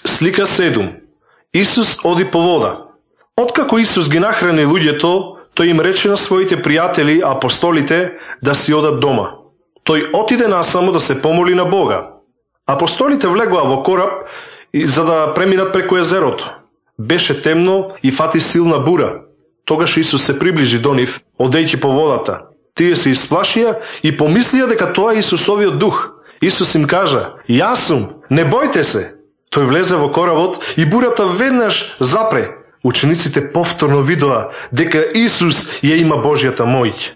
Слика 7. Исус оди по вода. Откако Исус ги нахрани луѓето, тој им рече на своите пријатели, апостолите, да си одат дома. Тој отиде насамо да се помоли на Бога. Апостолите влегоа во кораб за да преминат преку езерото. Беше темно и фати силна бура. Тогаш Исус се приближи до нив, одејќи по водата. Тие се исплашија и помислија дека тоа е Исусовиот дух. Исус им кажа: "Јас сум, не бојте се." Тој влезе во коработ и бурата веднаш запре. Учениците повторно видоа дека Исус ја има Божјата моќ.